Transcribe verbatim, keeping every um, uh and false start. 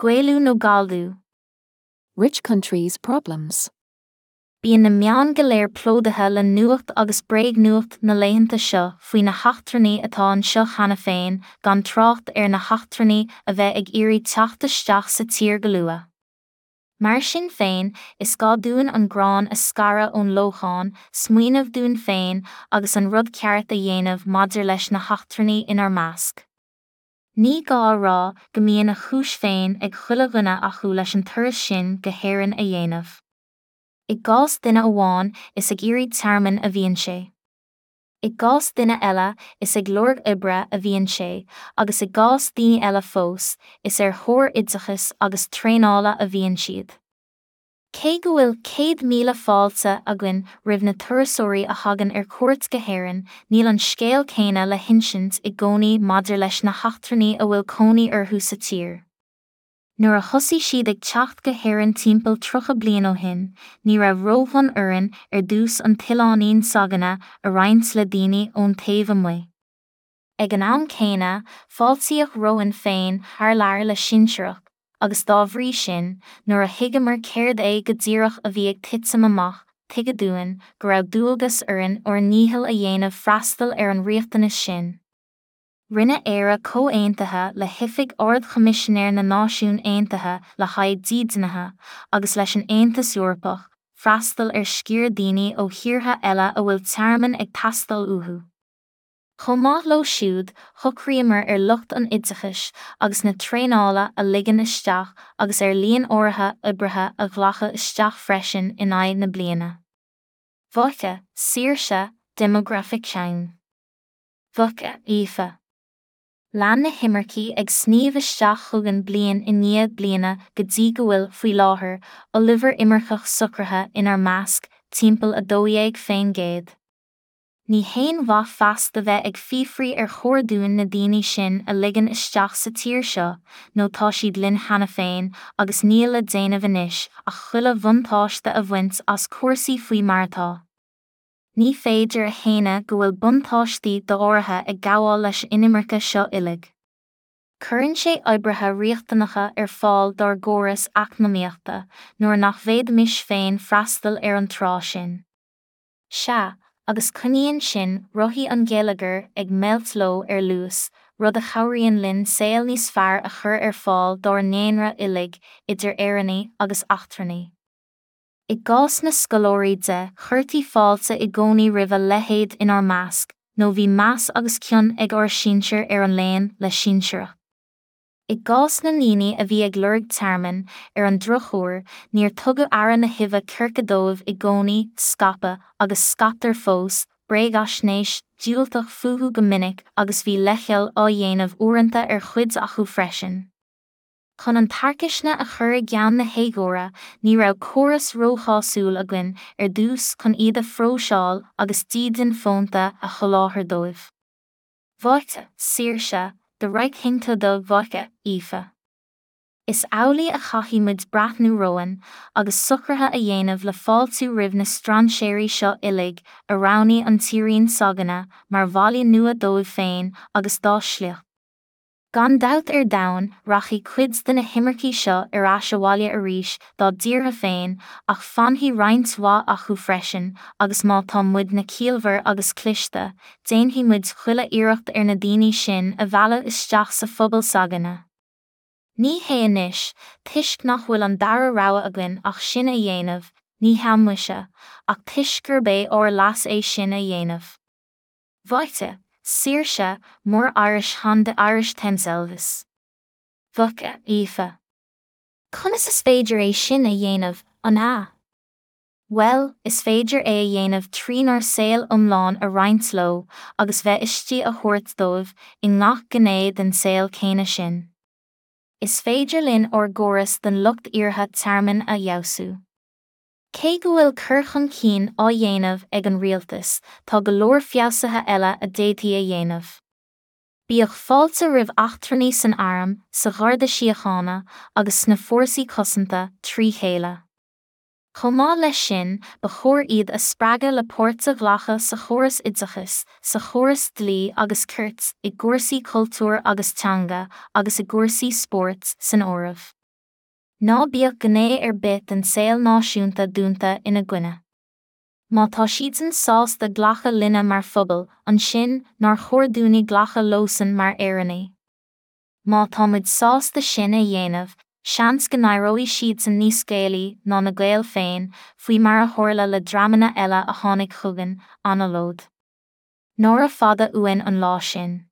Gaelú nó Galldú. Rich countries' problems. Bíonn na meáin go léir plódaithe le nuacht agus bréagnuacht na laethanta seo faoi na heachtrannaigh atá anseo cheana féin gan trácht ar na heachtrannaigh a bheith ag iarraidh teacht isteach sa tír go luath. Mar sin féin, is gá dúinn an grán a scaradh ón lóchán, smaoineamh dúinn féin agus an rud ceart a dhéanamh maidir leis na heachtrannaigh inár measc. Ní gá a rá go mbíonn a chúis féin ag chuile dhuine acu leis an turas sin go hÉirinn a dhéanamh. I gcás duine amháin is ag iarraidh tearmainn a bhíonn sé. I gcás duine eile is ag lorg oibre a bhíonn sé, agus i gcás daoine eile fós, is ar thóir oideachais agus traenála a bhíonn siad. Cé go bhfuil céad míle fáilte againn roimh na turasóirí a thagann ar cuairt go hÉirinn, níl an scéal céanna le hinsint i gcónaí maidir leis na heachtrannaigh a bhfuil cónaí orthu sa tír. Nuair a thosaigh siad ag teacht go hÉirinn timpeall tríocha bliain ó shin, ní raibh rófhonn orainn ar dtús an t-oileáinín s'againne a roinnt le daoine ón taobh amuigh. Ag an am céanna, fáiltíodh romhainn féin thar lear le sinsearacht, agus dá bhrí sin, nuair a thuigeamar céard é go díreach a bhí ag titim amach, tuigeadh dúinn go raibh dualgas orainn ár ndícheall a dhéanamh freastal ar an riachtanas sin. Rinne Éire comhaontuithe le hOifig Ard-Choimisinéir na Náisiún Aontaithe le haghaidh Dídeanaithe agus leis an Aontas Eorpach, freastal ar sciar daoine ó thíortha eile a bhfuil tearmann ag teastáil uathu. Chomh maith leo siúd, shocraíomar ar lucht an oideachais agus na traenála a ligean isteach agus ar líon áirithe oibrithe a ghlacadh isteach freisin in aghaidh na bliana. Mhaithe, Saoirse, Demographic Change. Mhaithe, Aoife. Lean na himircigh ag sníomh isteach chugainn bliain i ndiaidh bliana go dtí go bhfuil, faoi láthair, ollmhór imirceach socraithe inár measc, timpeall a dó dhéag faoin gcéad. Ní haon mhaith feasta bheith ag fiafraí ar chóir dúinn na daoine sin a ligean isteach sa tír seo, nó tá siad linn cheana féin agus níl le déanamh anois ach chuile bhuntáiste a bhaint as cúrsaí faoi mar atá. Ní féidir a shéanadh go bhfuil buntáistí do-áirithe ag gabháil leis an inimirce seo uilig. Cuireann sé oibrithe riachtanacha ar fáil dár gcóras eacnamaíochta, nuair nach bhféadfaimis féin freastal ar an trá sin. Sea, agus coinníonn sin rothaí an gheilleagair ag meilt leo ar luas, rud a chabhraíonn linn saol níos fearr a chur ar fáil dár ndaonra uilig, idir Éireannaigh agus eachtrannaigh. I gcás na scoláirí de, chuirtí fáilte i gcónaí roimh a leithéid inár measc, nó bhí meas agus cion ag ár sinsir ar an léann le sinsearacht. I gcás na ndaoine a bhí ag lorg tearmainn, ar an drochuair, níor tugadh aire na huibhe circe dóibh i gcónaí, scaipeadh, agus scaiptear fós, bréagaisnéis diúltach fúthu go minic agus bhí leithcheal á dhéanamh uaireanta ar chuid acu freisin. Chun an tarcaisne a chur i gceann na héagóra, ní raibh córas róshásúil againn ar dtús chun iad a phróiseáil agus dídean fónta a sholáthar dóibh. Mhaithe, Saoirse, The Right Thing to Do Mhaithe, Aoife. Is amhlaidh a chaithfidh muid breathnú romhainn agus socruithe a dhéanamh le fáiltiú roimh na strainséirí seo uilig a roghnaigh an tírín s'againne mar bhaile nua dóibh féin agus dá sliocht. Gan dabht ar domhan, rachaidh cuid de na himircigh seo ar ais abhaile arís dá dtíortha féin ach fanfaidh roinnt mhaith acu freisin agus má tá muidne ciallmhar agus cliste, déanfaidh muid chuile iarracht ar na daoine sin a mhealladh isteach sa phobal s'againne. Ní hé anois, toisc nach bhfuil an dara rogha againn ach sin a dhéanamh, ní hea muise, ach toisc gurb é ár leas é sin a dhéanamh. Mhaithe, Saoirse, More Irish than the Irish themselves. Mhaithe, Aoife. Conas is féidir é sin a dhéanamh, an ea? Bhuel, is féidir é a dhéanamh trínár saol iomlán a roinnt leo agus bheith istigh a thabhairt dóibh i ngach gné den saol céanna sin. Is féidir linn ár gcóras don lucht iarrtha tearmainn a fheabhsú. Cé go bhfuil cur chun cinn á dhéanamh ag an rialtas, tá go leor feabhsuithe eile a d'fhéadfaí a dhéanamh. Bíodh fáilte roimh eachtrannaigh san arm, sa Gharda Síochána agus sna fórsaí cosanta trí chéile. Chomh maith leis sin, ba chóir iad a spreagadh le páirt a ghlacadh sa chóras oideachais, sa chóras dlí agus cirt, i gcúrsaí cultúir agus teanga, agus i gcúrsaí spóirt san áireamh. Ná bíodh gné ar bith den saol náisiúnta dúnta ina gcoinne. Má tá siadsan sásta glacadh linne mar phobal, ansin nár chóir dúinne glacadh leosan mar Éireannaigh. Má tá muid sásta sin a dhéanamh, seans go n-éireoidh siadsan níos Gaelaí ná na Gaeil féin, faoi mar a tharla le dreamanna eile a tháinig chugainn, anallód. Nára fada uainn an lá sin.